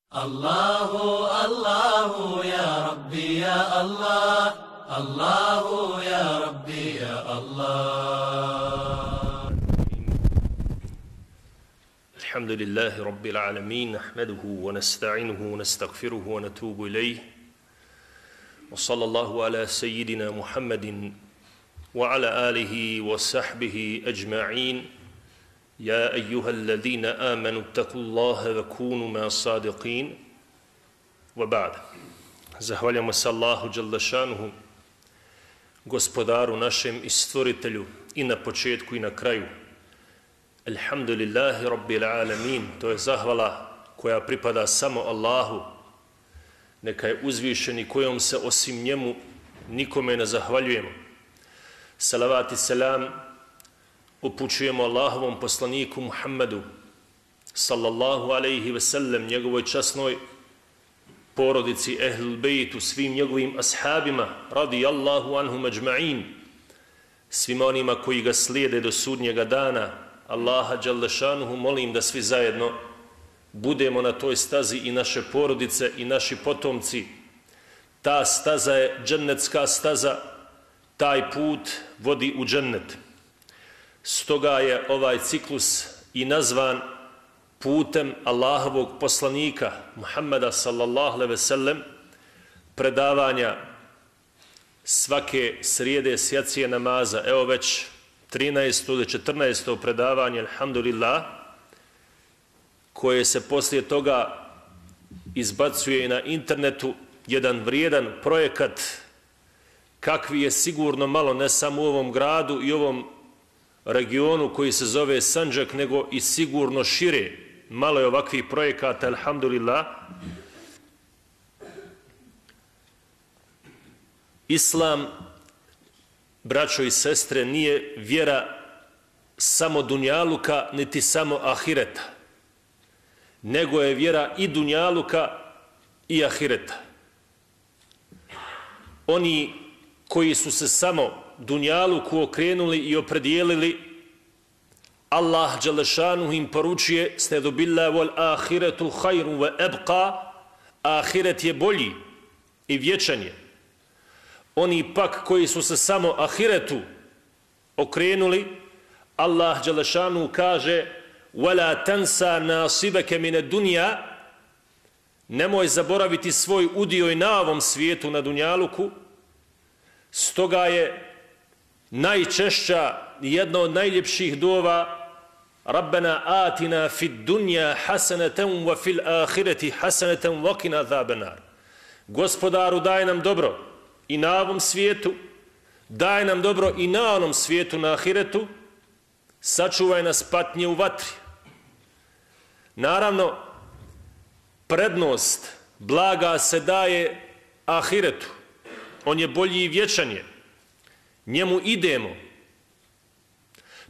الله الله يا ربي يا الله الله يا ربي يا الله. الحمد لله رب العالمين، نحمده ونستعينه ونستغفره ونتوب إليه، وصلى الله على سيدنا محمد وعلى آله وصحبه أجمعين. يا أيها الذين آمنوا اتقوا الله وكونوا مع الصادقين. وبعد. Zahvaljamo se Allahu dželle šanuhu, gospodaru našem i stvoritelju, i na početku i na kraju. Alhamdulillahi rabbil alamin. To je zahvala koja pripada samo Allahu. Neka je uzvišeni, kojom se osim njemu nikome ne zahvaljujemo. Salavat i selam upućujemo Allahovom poslaniku Muhammedu sallallahu alejhi ve sellem, njegovoj časnoj porodici, ehlul bejtu, svim njegovim ashabima radijallahu anhum ajma'in, svima onima koji ga slijede do sudnjega dana. Allaha dželle šanuhu molim da svi zajedno budemo na toj stazi, i naše porodice i naši potomci. Ta staza je džennetska staza, taj put vodi u džennet. Stoga je ovaj ciklus i nazvan putem Allahovog poslanika Muhammeda sallallahu alejhi ve sellem, predavanja svake srijede s jacije namaza. Evo već 13. ili 14. predavanje, alhamdulillah, koje se poslije toga izbacuje na internetu, jedan vrijedan projekat kakvi je sigurno malo, ne samo u ovom gradu i ovom regionu koji se zove Sandžak, nego i sigurno šire. Malo je ovakvih projekata, alhamdulillah. Islam, braćo i sestre, nije vjera samo dunjaluka niti samo ahireta, nego je vjera i dunjaluka i ahireta. Oni koji su se samo dunjaluku okrenuli i opredijelili, Allah dželle šanuhu im poručuje: "Stadu billahi wal ahiretu khairun wa abqa", ahiret je bolji i vječan je. Oni pak koji su se samo ahiretu okrenuli, Allah dželle šanuhu kaže: "Wala tansa nasibaka min ad-dunya", nemoj zaboraviti svoj udio i na ovom svijetu, na dunjaluku. Stoga je najčešća, jedna od najljepših dova: Rabbena atina fid dunja hasanatan wa fil ahireti hasanatan wa qina azaban nar. Gospodaru, daj nam dobro i na ovom svijetu, daj nam dobro i na onom svijetu, na ahiretu, sačuvaj nas patnje u vatri. Naravno, prednost blaga se daje ahiretu. On je bolji i vječan je. Njemu idemo.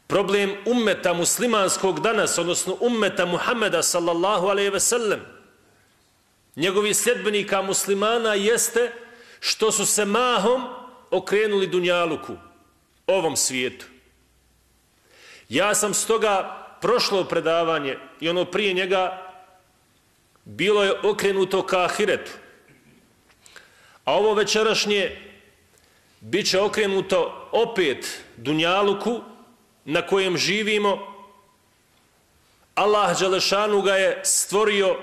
Problem ummeta muslimanskog danas, odnosno ummeta Muhammeda sallallahu alejhi ve sellem, njegovih sljedbenika muslimana, jeste što su se mahom okrenuli dunjaluku, ovom svijetu. Ja sam stoga prošlo predavanje i ono prije njega bilo je okrenuto ka ahiretu. A ovo večerašnje bit će okrenuto opet dunjaluku na kojem živimo. Allah dželle šanuhu ga je stvorio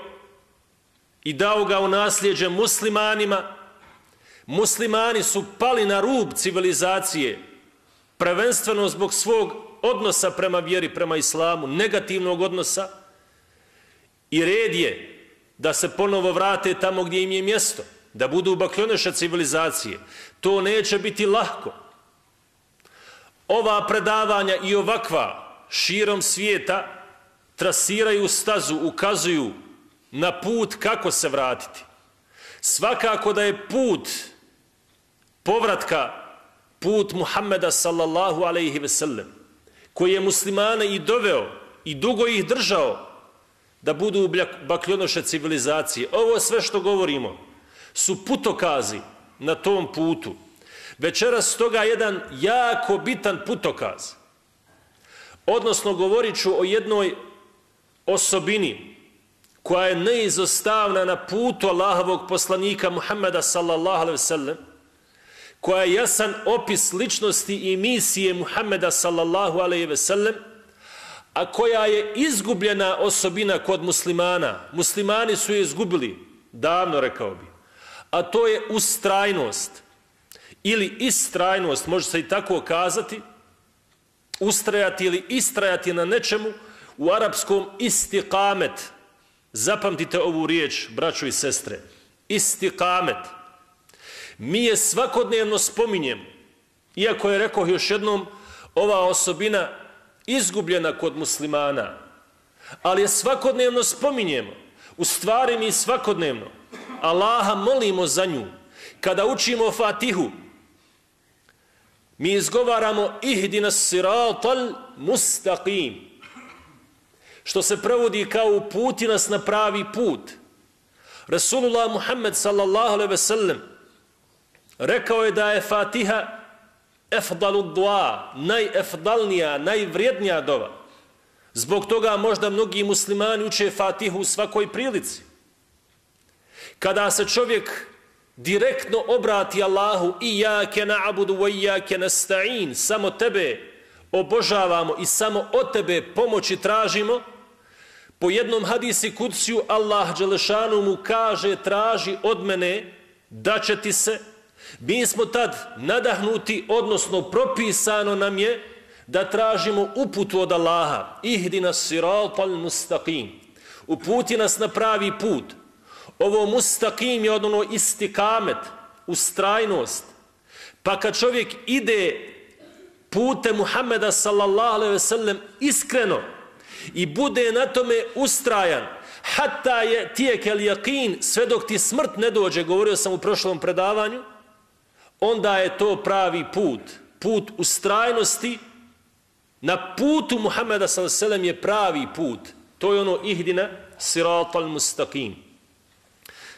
i dao ga u nasljeđe muslimanima. Muslimani su pali na rub civilizacije, prvenstveno zbog svog odnosa prema vjeri, prema islamu, negativnog odnosa, i red je da se ponovo vrate tamo gdje im je mjesto, da budu bakljoneša civilizacije. To neće biti lahko. Ova predavanja i ovakva širom svijeta trasiraju stazu, ukazuju na put kako se vratiti. Svakako da je put povratka put Muhammeda sallallahu alejhi ve sellem, koji je muslimane i doveo i dugo ih držao da budu bakljonoše civilizacije. Ovo sve što govorimo su putokazi na tom putu. Večeras toga jedan jako bitan putokaz. Odnosno, govorit ću o jednoj osobini koja je neizostavna na putu Allahovog poslanika Muhammeda sallallahu alejhi ve sellem, koja je jasan opis ličnosti i misije Muhammeda sallallahu alejhi ve sellem, a koja je izgubljena osobina kod muslimana. Muslimani su je izgubili, davno rekao bi. A to je ustrajnost ili istrajnost, može se i tako kazati, ustrajati ili istrajati na nečemu, u arapskom istiqamet. Zapamtite ovu riječ, braćo i sestre. Istiqamet. Mi je svakodnevno spominjemo, iako je, rekao još jednom, ova osobina izgubljena kod muslimana, ali je svakodnevno spominjemo. U stvari mi svakodnevno Allaha molimo za nju. Kada učimo Fatihu, mi izgovaramo ihdina siratal mustaqim, što se prevodi kao uputi nas na pravi put. Rasulullah Muhammed sallallahu alejhi ve sellem rekao je da je Fatiha efdalu dua, najefdalnija, najvrijednija dova. Zbog toga možda mnogi muslimani uče Fatihu u svakoj prilici. Kada se čovjek direktno obrati Allahu, iyyake na'budu wa iyyake nasta'in, samo tebe obožavamo i samo od tebe pomoći tražimo, po jednom hadisi kudsiju Allah dželešanu mu kaže traži od mene da će ti se. Mi smo tad nadahnuti, odnosno propisano nam je da tražimo uputu od Allaha. Ihdina siratal mustaqim. Uputi nas na pravi put. Ovo mustaqim je ono istikamet, ustrajnost. Pa kad čovjek ide putem Muhammeda sallallahu alejhi ve sellem iskreno i bude na tome ustrajan, hatta je tijekel yaqin, sve dok ti smrt ne dođe, govorio sam u prošlom predavanju, onda je to pravi put. Put ustrajnosti na putu Muhammeda sallallahu alejhi ve sellem je pravi put. To je ono ihdina siratal mustaqim.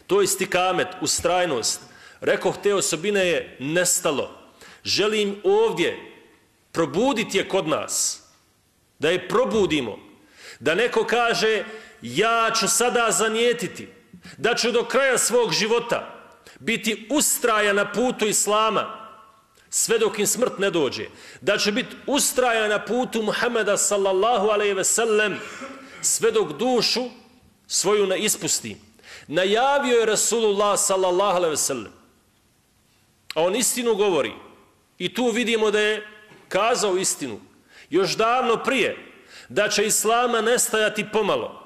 To je istikamet, ustrajnost. Rekoh, te osobine je nestalo. Želim ovdje probuditi je kod nas. Da je probudimo. Da neko kaže, ja ću sada zanijetiti, da ću do kraja svog života biti ustrajan na putu Islama, sve dok im smrt ne dođe. Da će biti ustrajan na putu Muhammeda sallallahu alejhi ve sellem, sve dok dušu svoju ne ispusti. Najavio je Rasulullah sallallahu alejhi ve sellem. A on istinu govori. I tu vidimo da je kazao istinu. Još davno prije da će Islama nestajati pomalo.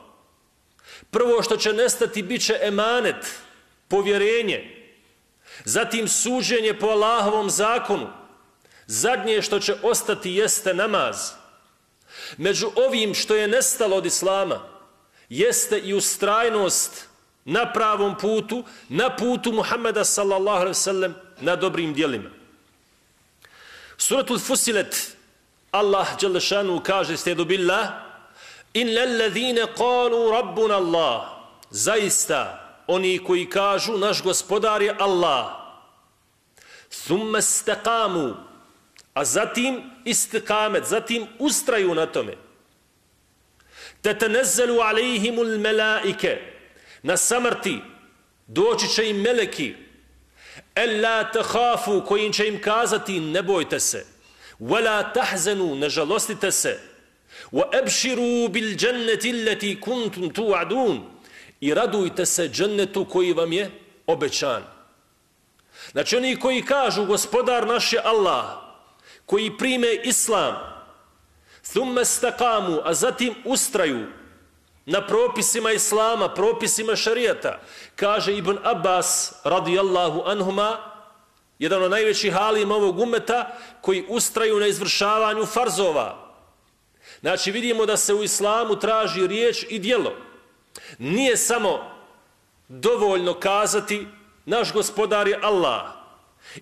Prvo što će nestati bit će emanet, povjerenje. Zatim suđenje po Allahovom zakonu. Zadnje što će ostati jeste namaz. Među ovim što je nestalo od Islama jeste i ustrajnost na pravom putu, na putu Muhammeda sallallahu alejhi ve sellem, na dobrim djelima. Suratul Fusilet, Allah dželle šanu kaže, stedu billah, innal ladhina qalu rabbuna Allah, zaista oni koji kažu naš gospodar je Allah, thumma istaqamu, a zatim istikamet, zatim ustraju na tome, tatanazzalu alejhimul melaike, na samrti doći će im meleki, ella tahafu, koji će im kazati ne bojte se, wala tahzanu, ne žalostite se, wa abshiru bil jannati allati kuntum tu'adun, i radujte se džennetu koji vam je obećan. Znači oni koji kažu gospodar naš je Allah, koji prime Islam, thumma istaqamu, a zatim ustraju na propisima Islama, propisima šarijata, kaže Ibn Abbas radijallahu anhuma, jedan od najvećih alima ovog umeta, koji ustraju na izvršavanju farzova. Znači vidimo da se u Islamu traži riječ i djelo. Nije samo dovoljno kazati naš gospodar je Allah,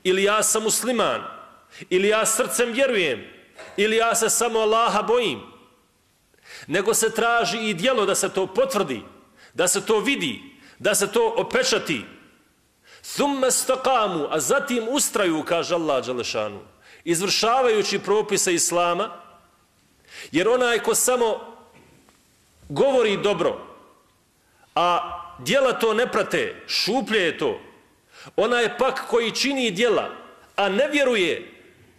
ili ja sam musliman, ili ja srcem vjerujem, ili ja se samo Allaha bojim, nego se traži i djelo da se to potvrdi, da se to vidi, da se to opečati. Thumma istaqamu, a zatim ustraju, kaže Allah dželle šanu, izvršavajući propise Islama, jer onaj ko samo govori dobro, a djela to ne prate, šuplje je to. Onaj pak koji čini djela, a ne vjeruje,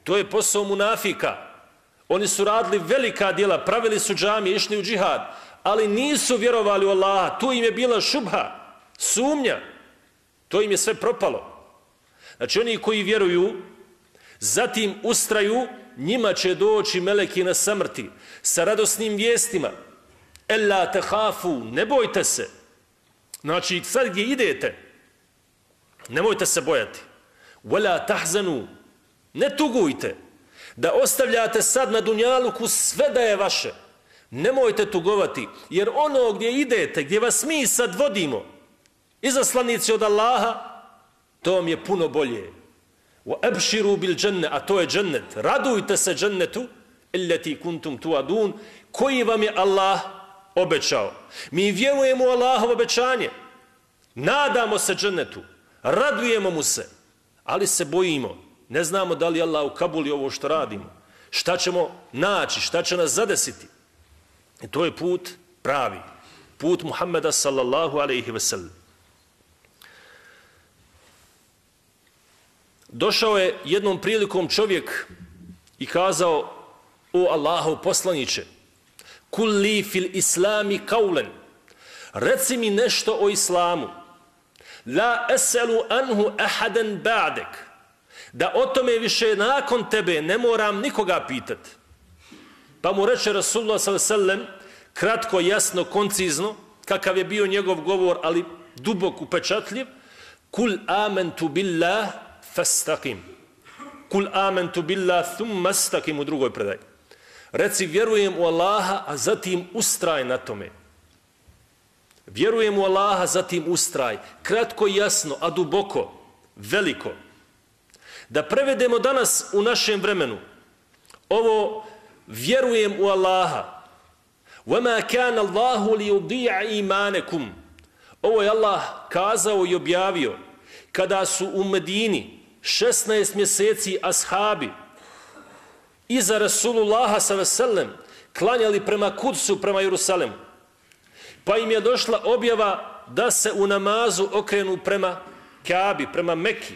to je posao munafika. Oni su radili velika djela, pravili su džamije, išli u džihad, ali nisu vjerovali u Allaha. Tu im je bila šubha, sumnja. To im je sve propalo. Znači oni koji vjeruju, zatim ustraju, njima će doći meleki na samrti sa radosnim vijestima. Ella tehafu, ne bojte se. Znači sad gdje idete, nemojte se bojati. Wala tahzanu, ne tugujte. Da ostavljate sad na dunjaluku sve da je vaše. Nemojte tugovati, jer ono gdje idete, gdje vas mi sad vodimo, izaslanici od Allaha, to vam je puno bolje. Wa abshiru bil dženne, a to je džennet. Radujte se džennetu, illati kuntum tuadun, koji vam je Allah obećao. Mi vjerujemo u Allahovo obećanje. Nadamo se džennetu, radujemo mu se, ali se bojimo. Ne znamo da li Allah ukabuli ovo što radimo. Šta ćemo naći, šta će nas zadesiti. I to je put pravi. Put Muhammeda sallallahu alaihi ve sellem. Došao je jednom prilikom čovjek i kazao: o Allahov poslaniče, kul li fil islami kaulen, reci mi nešto o islamu, la eselu anhu ahadan ba'dek, da o tome više nakon tebe ne moram nikoga pitati. Pa mu reče Rasulullah sallallahu alejhi ve sellem, kratko, jasno, koncizno, kakav je bio njegov govor, ali dubok, upečatljiv: kul amantu billah fastaqim. Kul amantu billah thumma istaqim, u drugoj predaji. Reci vjerujem u Allaha, a zatim ustraj na tome. Vjerujem u Allaha, zatim ustraj. Kratko, jasno, a duboko, veliko. Da prevedemo danas u našem vremenu ovo vjerujem u Allaha. وَمَا كَانَ اللَّهُ لِيُضِيعَ إِيمَانَكُمْ. Ovo je Allah kazao i objavio kada su u Medini 16 mjeseci ashabi iza Rasulullaha s.a.v. klanjali prema Kudsu, prema Jerusalemu. Pa im je došla objava da se u namazu okrenu prema Kabi, prema Meki.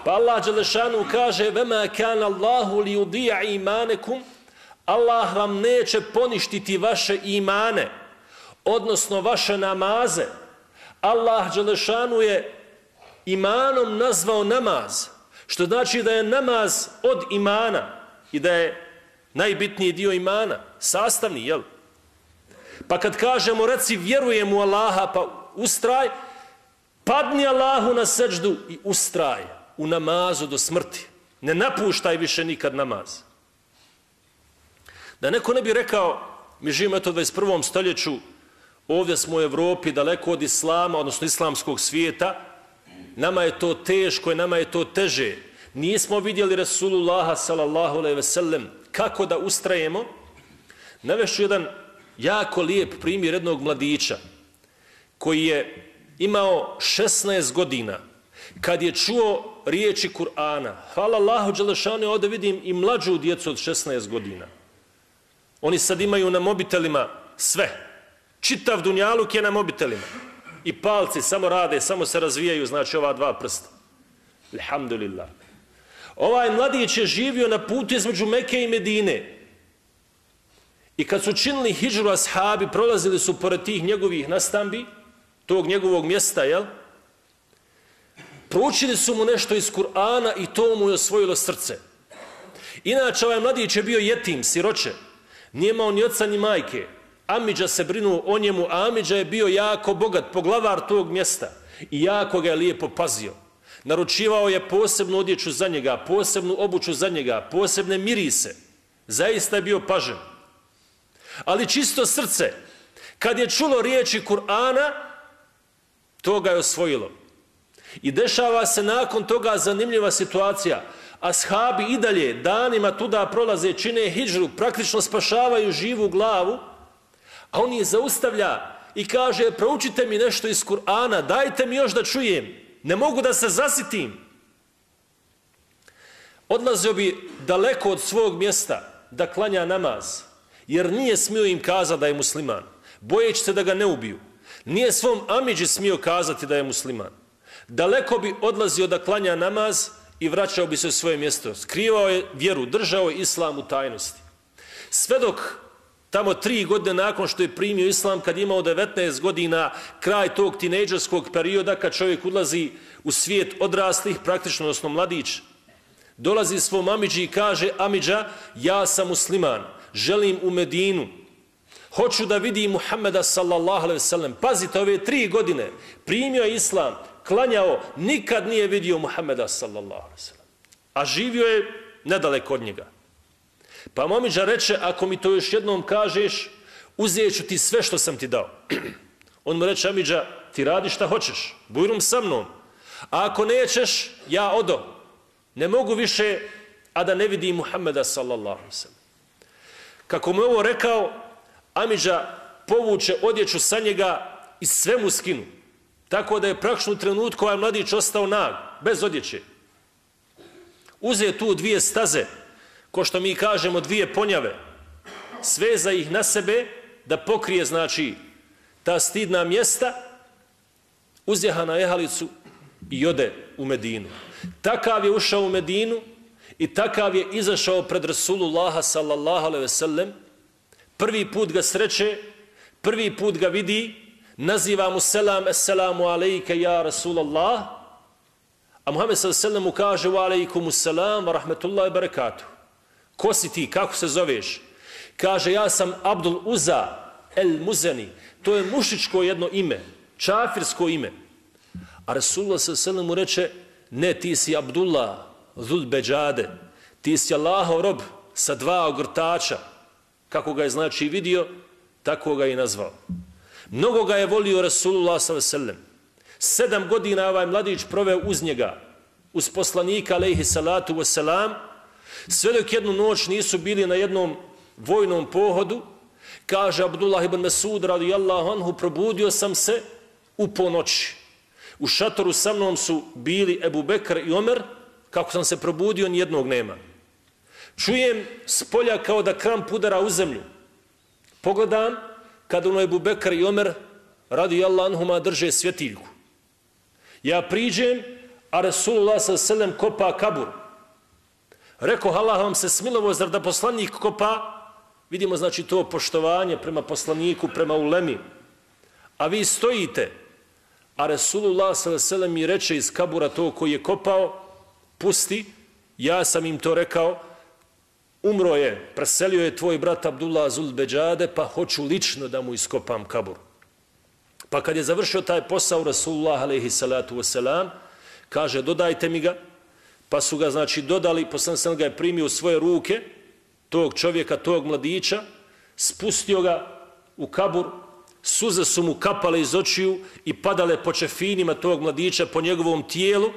Pa Allah dželešanu kaže: "Vema kana Allahu li yudi'a imanekum." Allah vam neće poništiti vaše imane, odnosno vaše namaze. Allah dželešanu je imanom nazvao namaz, što znači da je namaz od imana i da je najbitniji dio imana, sastavni, jel? Pa kad kažemo reci vjerujem u Allaha, pa ustraj, padni Allahu na seđdu i ustraj u namazu do smrti. Ne napuštaj više nikad namaz. Da neko ne bi rekao, mi živimo eto u 21. stoljeću, ovdje smo u Evropi, daleko od islama, odnosno islamskog svijeta, nama je to teško i nama je to teže. Nismo vidjeli Rasulullaha sallallahu alejhi ve sellem kako da ustrajemo. Navešću jedan jako lijep primjer jednog mladića koji je imao 16 godina kad je čuo riječi Kur'ana. Hvala Allahu dželešanu, ovdje vidim i mlađu djecu od 16 godina. Oni sad imaju na mobitelima sve. Čitav dunjaluk je na mobitelima. I palci samo rade, samo se razvijaju, znači ova dva prsta. Alhamdulillah. Ovaj mladić je živio na putu između Mekke i Medine. I kad su činili hidžru ashabi, prolazili su pored tih njegovih nastambi, tog njegovog mjesta, jel? Proučili su mu nešto iz Kur'ana i to mu je osvojilo srce. Inače, ovaj mladić je bio jetim, siroče. Nije imao ni oca ni majke. Amidža se brinuo o njemu, a Amidža je bio jako bogat, poglavar tog mjesta. I jako ga je lijepo pazio. Naručivao je posebnu odjeću za njega, posebnu obuću za njega, posebne mirise. Zaista je bio pažen. Ali čisto srce, kad je čulo riječi Kur'ana, to ga je osvojilo. I dešava se nakon toga zanimljiva situacija. Ashabi i dalje danima tuda prolaze, čine hidžru, praktično spašavaju živu glavu, a on je zaustavlja i kaže: proučite mi nešto iz Kur'ana, dajte mi još da čujem, ne mogu da se zasitim. Odlazio bi daleko od svog mjesta da klanja namaz, jer nije smio im kazati da je musliman, bojeći se da ga ne ubiju. Nije svom amidži smio kazati da je musliman. Daleko bi odlazio da klanja namaz i vraćao bi se u svoje mjesto. Skrivao je vjeru, držao je islam u tajnosti. Sve dok tamo 3 godine nakon što je primio islam, kad je imao 19 godina, kraj tog tinejdžerskog perioda, kad čovjek ulazi u svijet odraslih, praktično odnosno mladić, dolazi svom amidži i kaže: amidža, ja sam musliman, želim u Medinu, hoću da vidim Muhammeda sallallahu alejhi ve sellem. Pazite, ove 3 godine primio je islam, klanjao, nikad nije vidio Muhammeda sallallahu alejhi ve sellem, a živio je nedaleko od njega. Pa mu amidža reče: ako mi to još jednom kažeš, uzet ću ti sve što sam ti dao. On mu reče: amidža, ti radi šta hoćeš, bujrum sa mnom, a ako nećeš, ja odo. Ne mogu više, a da ne vidim Muhammeda sallallahu alejhi ve sellem. Kako mu ovo rekao, amidža povuče odjeću sa njega i sve mu skinu. Tako da je praktično u trenutku ovaj mladić ostao nag, bez odjeće. Uze tu 2 staze, ko što mi kažemo 2 ponjave, sveza ih na sebe da pokrije, znači, ta stidna mjesta, uzjeha na jehalicu i ode u Medinu. Takav je ušao u Medinu i takav je izašao pred Rasulullaha sallallahu alejhi ve sellem. Prvi put ga sreće, prvi put ga vidi, naziva mu selam: assalamu alejke ja Rasulallah, a Muhammed sallallahu alejhi ve sellem mu kaže: wa alejkumus selam wa rahmetullahi wa barakatuh. Ko si ti, kako se zoveš? Kaže: ja sam Abdul Uza el Muzeni. To je mušičko jedno ime, čafirsko ime. A Rasulullah sallallahu alejhi ve sellem mu reče: ne, ti si Abdullah Zul Beđade, ti si Allahov rob sa 2 ogrtača. Kako ga je znači vidio, tako ga je nazvao. Mnogo ga je volio Rasulullah sallallahu alejhi ve sellem. 7 godina ovaj mladić proveo uz njega, uz poslanika alejhi salatu vesselam, sve dok jednu noć nisu bili na jednom vojnom pohodu. Kaže Abdullah ibn Mesud radijallahu anhu: probudio sam se u ponoći. U šatoru sa mnom su bili Ebu Bekr i Omer. Kako sam se probudio, nijednog nema. Čujem s polja kao da kramp udara u zemlju. Pogledam, kada ono Ebu Bekr i Omer radijallahu anhuma drže svjetiljku. Ja priđem, a Rasulullah sallallahu alejhi ve sellem kopa kabur. Rekao: Allah vam se smilovo, zar da poslanik kopa? Vidimo, znači, to poštovanje prema poslaniku, prema ulemi. A vi stojite, a Rasulullah sallallahu alejhi ve sellem mi reče iz kabura to koji je kopao: pusti, ja sam im to rekao, umro je, preselio je tvoj brat Abdullah Zul Beđade, pa hoću lično da mu iskopam kabur. Pa kad je završio taj posao, Rasulullah alejhi salatu vesselam kaže: dodajte mi ga. Pa su ga, znači, dodali, poslanik sam ga je primio u svoje ruke, tog čovjeka, tog mladića, spustio ga u kabur, suze su mu kapale iz očiju i padale po čefinima tog mladića, po njegovom tijelu.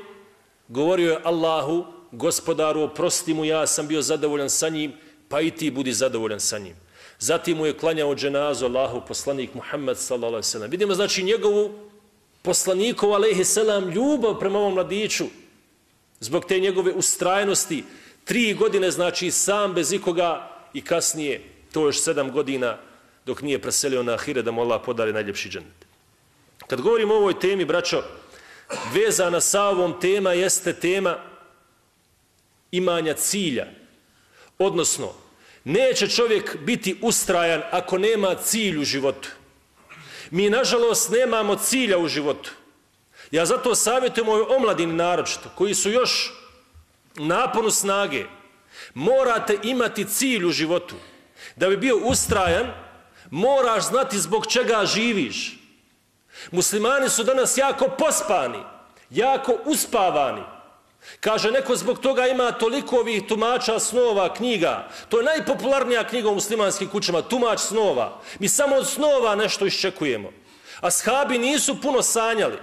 Govorio je: Allahu, gospodaru, oprosti mu, ja sam bio zadovoljan sa njim, pa i ti budi zadovoljan sa njim. Zatim mu je klanjao dženazu Allahu poslanik Muhammed sallallahu alejhi ve sellem. Vidimo, znači, njegovu poslanikovu alejhi selam ljubav prema ovom mladiću, zbog te njegove ustrajnosti. 3 godine, znači, sam bez ikoga, i kasnije to još 7 godina dok nije preselio na ahiret, da mu Allah podari najljepši džennet. Kad govorimo o ovoj temi, braćo, vezana sa ovom tema jeste tema imanja cilja. Odnosno, neće čovjek biti ustrajan ako nema cilj u životu. Mi, nažalost, nemamo cilja u životu. Ja zato savjetujem ovoj omladini naročito, koji su još naponu snage. Morate imati cilj u životu. Da bi bio ustrajan, moraš znati zbog čega živiš. Muslimani su danas jako pospani, jako uspavani. Kaže neko, zbog toga ima toliko ovih tumača snova, knjiga. To je najpopularnija knjiga u muslimanskim kućama, tumač snova. Mi samo od snova nešto iščekujemo. Ashabi nisu puno sanjali,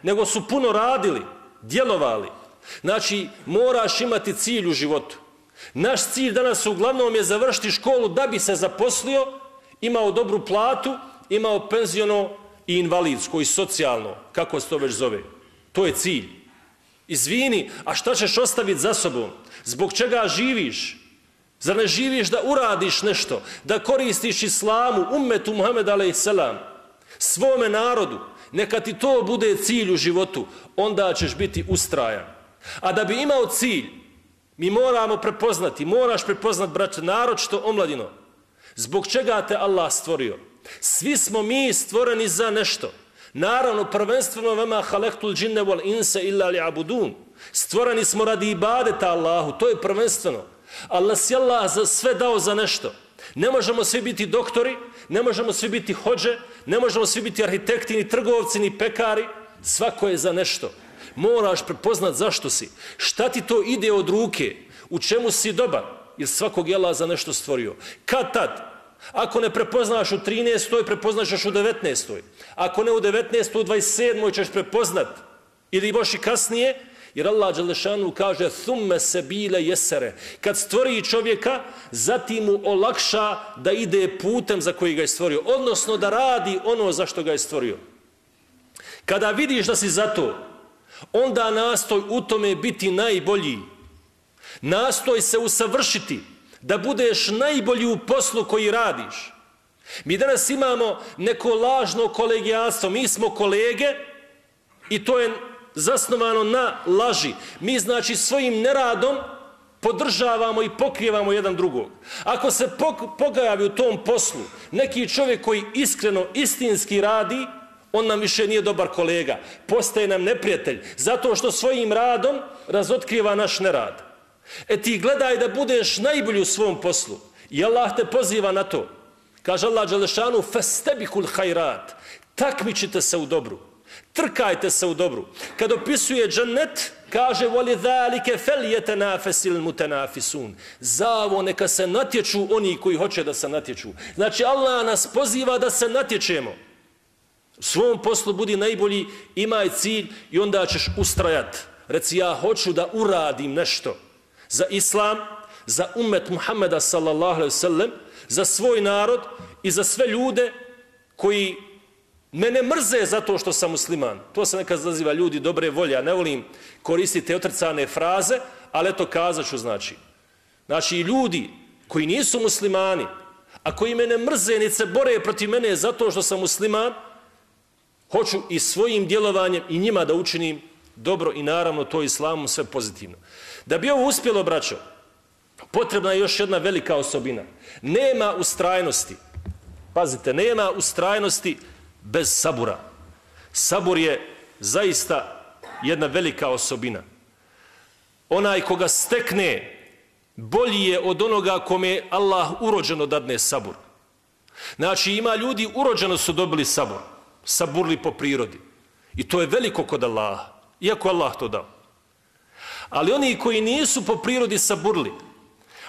nego su puno radili, djelovali. Znači, moraš imati cilj u životu. Naš cilj danas uglavnom je završiti školu da bi se zaposlio, imao dobru platu, imao penziono i invalidsko i socijalno, kako se to već zove. To je cilj. Izvini, a šta ćeš ostaviti za sobom? Zbog čega živiš? Zar ne živiš da uradiš nešto, da koristiš islamu, ummetu Muhammed a.s. svome narodu, neka ti to bude cilj u životu, onda ćeš biti ustrajan. A da bi imao cilj, mi moramo prepoznati, moraš prepoznati, braće, naročito omladino, zbog čega te Allah stvorio. Svi smo mi stvoreni za nešto. Naravno, prvenstveno vema halektul džinne wal insa illa li'abudun. Stvoreni smo radi ibadeta Allahu, to je prvenstveno. Ali nas je Allah za sve dao za nešto. Ne možemo svi biti doktori, ne možemo svi biti hođe, ne možemo svi biti arhitekti, ni trgovci, ni pekari. Svako je za nešto. Moraš prepoznat zašto si. Šta ti to ide od ruke? U čemu si dobar? Jer svakog je Allah za nešto stvorio. Kad tad? Ako ne prepoznaš u 13. prepoznaš još u 19. Ako ne u 19. u 27. ćeš prepoznat. Ili još i kasnije. Jer Allah dželešanu kaže thumme sebile jesere. Kad stvori čovjeka, zatim mu olakša da ide putem za koji ga je stvorio. Odnosno da radi ono za što ga je stvorio. Kada vidiš da si za to, onda nastoj u tome biti najbolji. Nastoj se usavršiti, da budeš najbolji u poslu koji radiš. Mi danas imamo neko lažno kolegijalstvo. Mi smo kolege i to je zasnovano na laži. Mi znači svojim neradom podržavamo i pokrijevamo jedan drugog. Ako se pojavi u tom poslu neki čovjek koji iskreno, istinski radi, on nam više nije dobar kolega. Postaje nam neprijatelj. Zato što svojim radom razotkriva naš nerad. Ti gledaj da budeš najbolji u svom poslu. I Allah te poziva na to. Kaže Allah dželešanu fastebikul hajrat. Takmičite se u dobru. Trkajte se u dobru. Kad opisuje džennet, kaže وَلِذَالِكَ فَلْيَتَنَافَسِ الْمُتَنَافِسُونَ. Zavo neka se natječu oni koji hoće da se natječu. Znači Allah nas poziva da se natječemo. U svom poslu budi najbolji, imaj cilj i onda ćeš ustrajati. Reci ja hoću da uradim nešto za Islam, za ummet Muhammeda sallallahu alejhi ve sellem, za svoj narod i za sve ljude koji mene mrze zato što sam musliman. To se nekad naziva ljudi dobre volje. Ja ne volim koristiti otrcane fraze, ali eto kazat ću znači. Znači ljudi koji nisu muslimani, a koji mene mrze niti se bore protiv mene zato što sam musliman, hoću i svojim djelovanjem i njima da učinim dobro i naravno to islamom sve pozitivno. Da bi ovo uspjelo, braćo, potrebna je još jedna velika osobina. Nema ustrajnosti. Pazite, nema ustrajnosti bez sabura. Sabur je zaista jedna velika osobina. Onaj koga stekne, bolji je od onoga kome Allah urođeno dadne sabur. Znači ima ljudi urođeno su dobili sabur. Saburli po prirodi. I to je veliko kod Allaha. Iako Allah to dao. Ali oni koji nisu po prirodi saburli,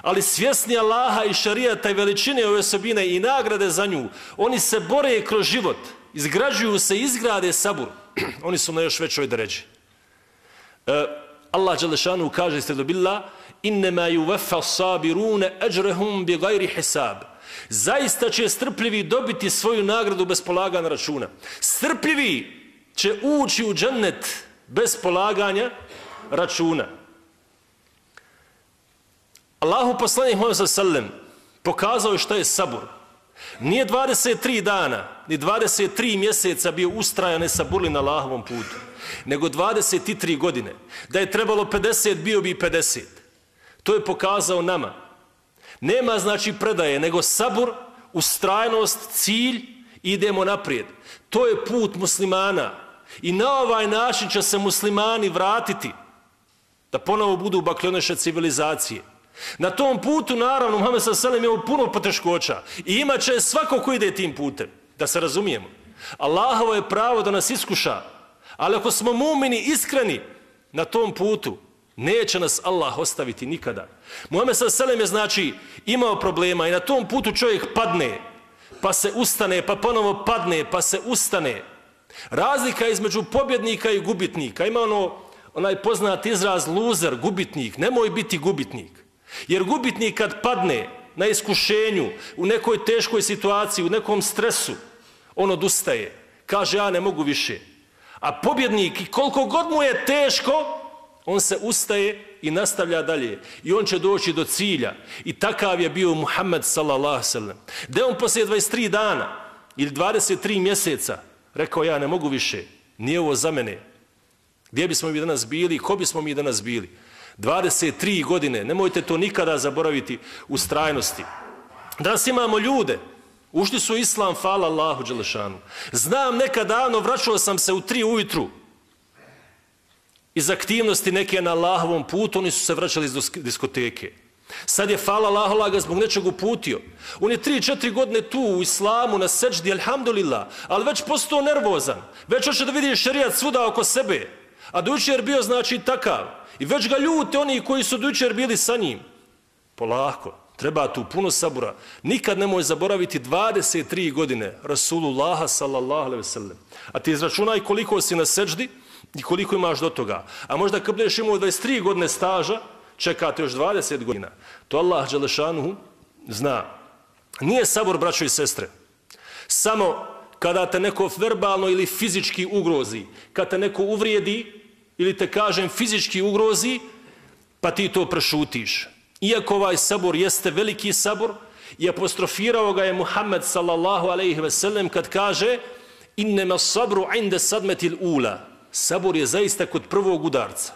ali svjesni Allaha i šarijata i veličine ove osobine i nagrade za nju, oni se bore kroz život, izgrađuju se, izgrade sabur. Oni su na još većoj deređi. Allah dželešanu kaže ste dobila innema yuvaffa sabiruna ajrahum bighairi hisab. Zaista će strpljivi dobiti svoju nagradu bez polaganja računa. Strpljivi će ući u džennet bez polaganja računa. Allahu poslanik Muhammed sallallahu alejhi ve sellem pokazao je šta je sabur. Nije 23 dana, ni 23 mjeseca bio ustrajan i saburli na Allahovom putu, nego 23 godine. Da je trebalo 50, bio bi 50. To je pokazao nama. Nema znači predaje, nego sabur, ustrajnost, cilj, idemo naprijed. To je put muslimana. I na ovaj način će se muslimani vratiti da ponovo budu bakljoneše civilizacije. Na tom putu, naravno, Muhammed sallallahu alejhi ve sellem imao puno poteškoća i imat će svako ko ide tim putem, da se razumijemo. Allahovo je pravo da nas iskuša, ali ako smo mumini iskreni na tom putu, neće nas Allah ostaviti nikada. Muhammed sallallahu alejhi ve sellem je znači imao problema i na tom putu čovjek padne, pa se ustane, pa ponovo padne, pa se ustane. Razlika između pobjednika i gubitnika. Ima onaj poznat izraz loser, gubitnik. Nemoj biti gubitnik. Jer gubitnik kad padne na iskušenju, u nekoj teškoj situaciji, u nekom stresu, on odustaje. Kaže ja ne mogu više. A pobjednik, koliko god mu je teško, on se ustaje i nastavlja dalje. I on će doći do cilja. I takav je bio Muhammed sallallahu alejhi ve sellem. Da on poslije 23 dana ili 23 mjeseca, rekao ja ne mogu više, nije ovo za mene. Gdje bismo mi danas bili, ko bismo mi danas bili? 23 godine, nemojte to nikada zaboraviti u strajnosti. Danas imamo ljude, ušli su u islam, hvala Allahu dželešanu. Znam nekad davno, vraćao sam se u 3 ujutru iz aktivnosti neke na Allahovom putu, oni su se vraćali iz diskoteke. Sad je hvala Allahu, Allah ga zbog nečeg uputio. On je 3-4 godine tu u islamu na seđdi, alhamdulillah, ali već postao nervozan. Već hoće da vidi šerijat svuda oko sebe. A do jučer bio znači takav. I već ga ljute oni koji su do jučer bili sa njim. Polako, treba tu puno sabura. Nikad nemoj zaboraviti 23 godine Rasulullaha sallallahu alejhi ve sellem. A ti izračunaj koliko si na seđdi i koliko imaš do toga. A možda kad budeš imao 23 godine staža, čekate još 20 godina. To Allah dželešanuhu zna. Nije sabor, braćo i sestre, samo kada te neko verbalno ili fizički ugrozi, kada te neko uvrijedi ili te kažem fizički ugrozi, pa ti to prešutiš. Iako ovaj sabor jeste veliki sabor i apostrofirao ga je Muhammed sallallahu alejhi ve sellem kad kaže innema sabru inde sadmetil ula. Sabor je zaista kod prvog udarca.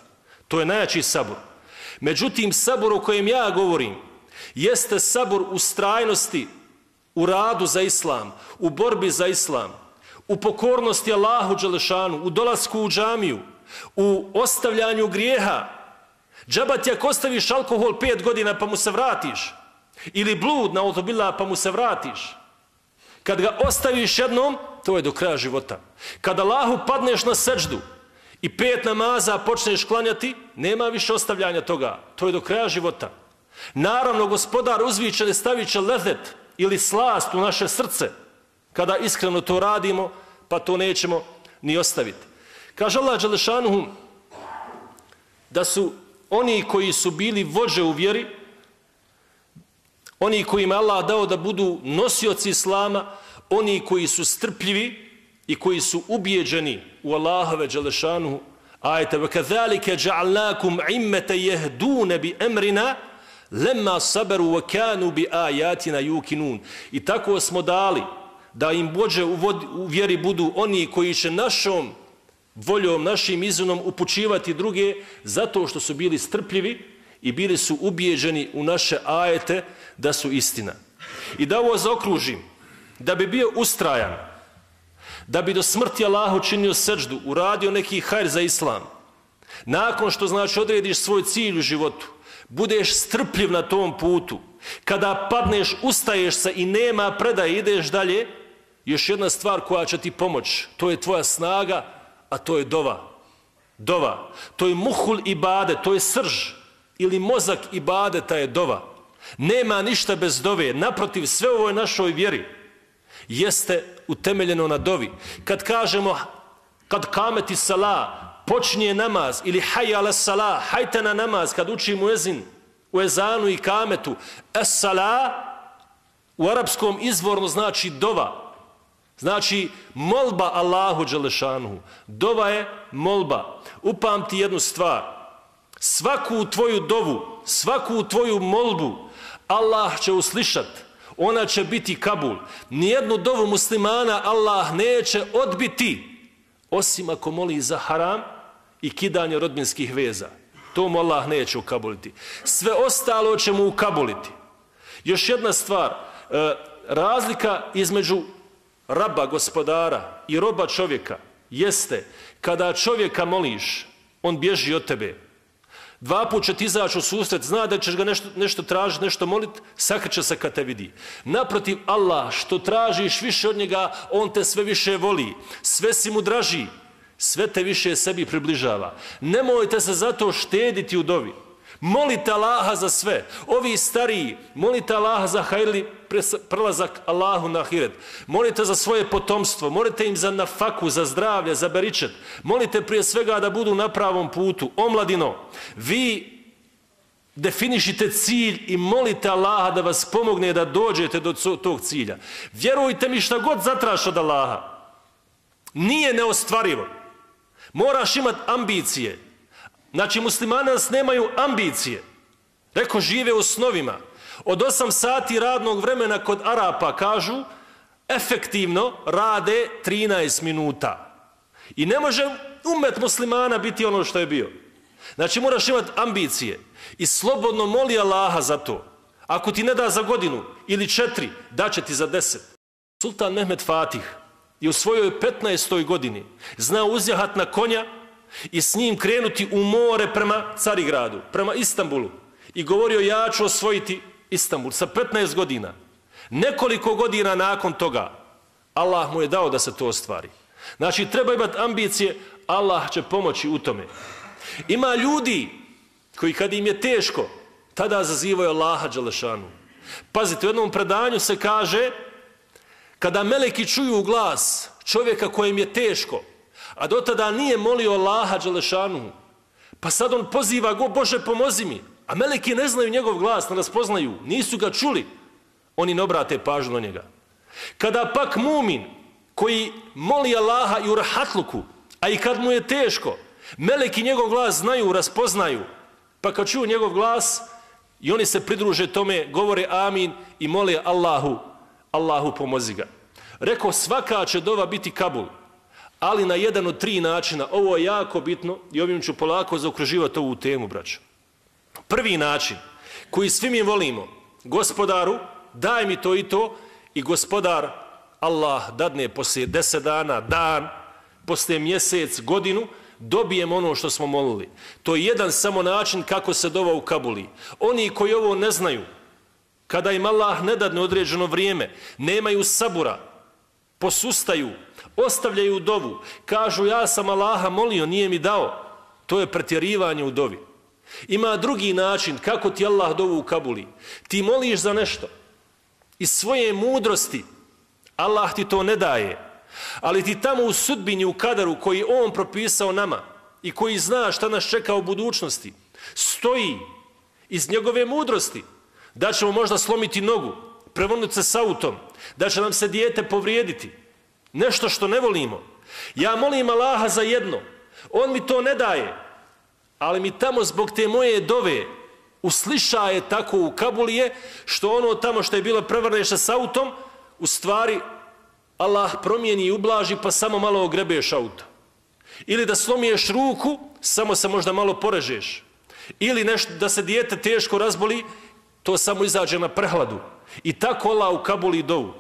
To je najjači sabor. Međutim, sabor o kojem ja govorim jeste sabor u strajnosti, u radu za islam, u borbi za islam, u pokornosti Allahu dželešanu, u dolasku u džamiju, u ostavljanju grijeha. Džaba ti ako ostaviš alkohol 5 godina pa mu se vratiš, ili blud na autobila pa mu se vratiš. Kad ga ostaviš jednom, to je do kraja života. Kad Allahu padneš na seđdu i 5 namaza počneš klanjati, nema više ostavljanja toga. To je do kraja života. Naravno, gospodar uzvičeni stavit će lezet ili slast u naše srce. Kada iskreno to radimo, pa to nećemo ni ostaviti. Kaže Allah dželešanuhu da su oni koji su bili vođe u vjeri, oni kojima Allah dao da budu nosioci islama, oni koji su strpljivi i koji su ubijeđeni u Allahove dželešanuhu ajete وَكَذَلِكَ جَعَلْنَاكُمْ عِمَّةَ يَهْدُونَ بِأَمْرِنَا لَمَّا صَبَرُوا وَكَانُوا بِآيَاتِنَا يُوقِنُونَ. I tako smo dali da im vođe u vjeri budu oni koji će našom voljom, našim izunom upućivati druge zato što su bili strpljivi i bili su ubijeđeni u naše ajete da su istina. I da ovo zaokružim, da bi bio ustrajan, da bi do smrti Allahu činio seđdu, uradio neki hajr za islam, nakon što znači odrediš svoj cilj u životu, budeš strpljiv na tom putu, kada padneš, ustaješ se i nema predaje, ideš dalje, još jedna stvar koja će ti pomoći, to je tvoja snaga, a to je dova. Dova. To je muhul ibade, to je srž ili mozak ibadeta je dova. Nema ništa bez dove. Naprotiv, sve u ovoj našoj vjeri jeste utemeljeno na dovi. Kad kažemo, kad kameti salah, počinje namaz ili hayya ala salah, hajte na namaz, kad učimo ezin, u ezanu i kametu, es-salah u arapskom izvorno znači dova. Znači, molba Allahu dželešanuhu. Dova je molba. Upamti jednu stvar. Svaku tvoju dovu, svaku tvoju molbu Allah će uslišat. Ona će biti kabul. Nijednu dovu muslimana Allah neće odbiti, osim ako moli za haram i kidanje rodbinskih veza. To mu Allah neće ukabuliti. Sve ostalo će mu ukabuliti. Još jedna stvar. Razlika između raba, gospodara i roba čovjeka jeste kada čovjeka moliš, on bježi od tebe. 2 puta će ti izaći u susret, zna da ćeš ga nešto tražiti, nešto moliti, sakreće se kad te vidi. Naprotiv, Allah, što tražiš više od njega, on te sve više voli, sve si mu draži, sve te više sebi približava. Nemojte se zato štediti u dovi. Molite Allaha za sve. Ovi stariji, molite Allaha za hajrli prelazak Allahu na ahiret. Molite za svoje potomstvo, molite im za nafaku, za zdravlje, za beričet. Molite prije svega da budu na pravom putu. Omladino, vi definišite cilj i molite Allaha da vas pomogne da dođete do tog cilja. Vjerujte mi, šta god zatraš od Allaha, nije neostvarivo. Moraš imati ambicije. Znači, muslimani nas nemaju ambicije. Reko, žive u snovima. Od 8 sati radnog vremena kod Arapa kažu, efektivno rade 13 minuta. I ne može umet muslimana biti ono što je bio. Znači moraš imati ambicije i slobodno moli Allaha za to. Ako ti ne da za godinu ili 4, daće ti za 10. Sultan Mehmed Fatih je u svojoj 15. godini znao uzjahat na konja i s njim krenuti u more prema Carigradu, prema Istanbulu. I govorio ja ću osvojiti Istanbul sa 15 godina. Nekoliko godina nakon toga Allah mu je dao da se to ostvari. Znači treba imati ambicije, Allah će pomoći u tome. Ima ljudi koji kad im je teško, tada zazivaju Allaha dželešanu. Pazite, u jednom predanju se kaže kada meleki čuju glas čovjeka kojem je teško, a do tada nije molio Allaha dželešanu, pa sad on poziva go, Bože pomozi mi, a meleki ne znaju njegov glas, ne raspoznaju, nisu ga čuli, oni ne obrate pažnju na njega. Kada pak mumin koji moli Allaha i u rahatluku, a i kad mu je teško, meleki njegov glas znaju, raspoznaju, pa kad čuju njegov glas i oni se pridruže tome, govore amin i mole Allahu pomozi ga. Rekao, svaka će dova biti kabul, ali na jedan od 3 načina. Ovo je jako bitno i ovim ću polako zaokruživati ovu temu, braćo. Prvi način koji svi mi volimo, gospodaru, daj mi to i to, i gospodar Allah dadne poslije 10 dana, dan, poslije mjesec, godinu, dobijemo ono što smo molili. To je jedan samo način kako se dova u kabuli. Oni koji ovo ne znaju, kada im Allah ne dadne određeno vrijeme, nemaju sabura, posustaju, ostavljaju dovu, kažu ja sam Allaha molio, nije mi dao. To je pretjerivanje u dovi. Ima drugi način kako ti Allah dovu u kabuli. Ti moliš za nešto. Iz svoje mudrosti Allah ti to ne daje. Ali ti tamo u sudbini, u kadaru koji on propisao nama i koji zna šta nas čeka u budućnosti, stoji iz njegove mudrosti da ćemo možda slomiti nogu, prevrnuti se s autom, da će nam se dijete povrijediti. Nešto što ne volimo. Ja molim Allaha za jedno. On mi to ne daje. Ali mi tamo zbog te moje dove uslišaje tako u kabulije što ono tamo što je bilo prevrneš s autom, u stvari Allah promijeni i ublaži pa samo malo ogrebeš auto. Ili da slomiješ ruku, samo se možda malo porežeš. Ili nešto da se dijete teško razboli, to samo izađe na prehladu. I tako Allah u kabuli dovu.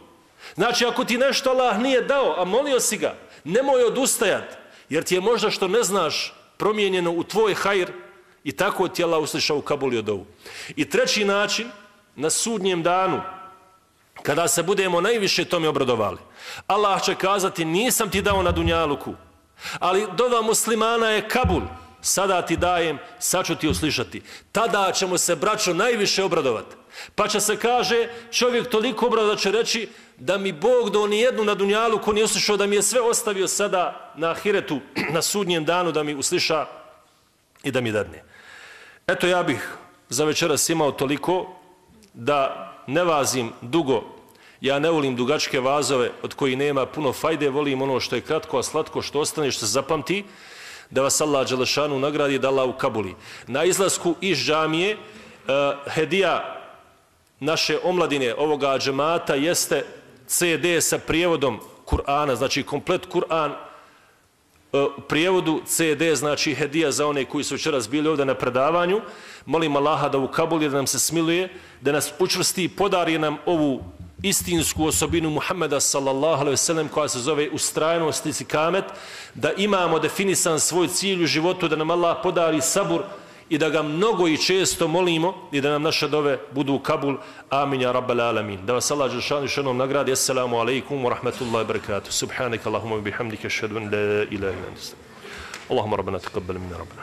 Znači ako ti nešto Allah nije dao, a molio si ga, nemoj odustajati, jer ti je možda što ne znaš promijenjeno u tvoj hajr i tako ti Allah uslišao u kabuli od ovu. I treći način, na sudnjem danu, kada se budemo najviše tome obradovali, Allah će kazati nisam ti dao na dunjaluku, ali dova muslimana je kabul, sada ti dajem, sad ću ti uslišati. Tada ćemo se, braćo, najviše obradovati. Pa će se kaže, čovjek toliko obradovat će reći da mi Bog do nijednu na dunjaluku nije uslišao, da mi je sve ostavio sada na ahiretu, na sudnjem danu, da mi usliša i da mi dadne. Eto, ja bih za večeras imao toliko da ne vazim dugo. Ja ne volim dugačke vazove od kojih nema puno fajde, volim ono što je kratko, a slatko što ostane, što se zapamti, da vas Allah dželešanu nagradi, da Allah u kabuli. Na izlasku iz džamije hedija naše omladine ovoga džemata jeste CD sa prijevodom Kur'ana, znači komplet Kur'an u prijevodu, CD znači hedija za one koji su večeras bili ovdje na predavanju. Molim Allaha da u kabuli, da nam se smiluje, da nas učvrsti i podari nam ovu istinsku osobinu Muhammeda sallallahu alejhi ve sellem koja se zove ustrajnost i istikamet, da imamo definisan svoj cilj u životu, da nam Allah podari sabur i da ga mnogo i često molimo i da nam naše dove budu u kabul. Amin ja rabbal alamin. Da vas Allah dželešanu još jednom nagradi. Assalamu alaikum wa rahmatullahi wa barakatuh. Subhanaka Allahumma wa bihamdika ashhadu an la ilaha illa anta. Allahumma rabbana taqabbal minna rabbana.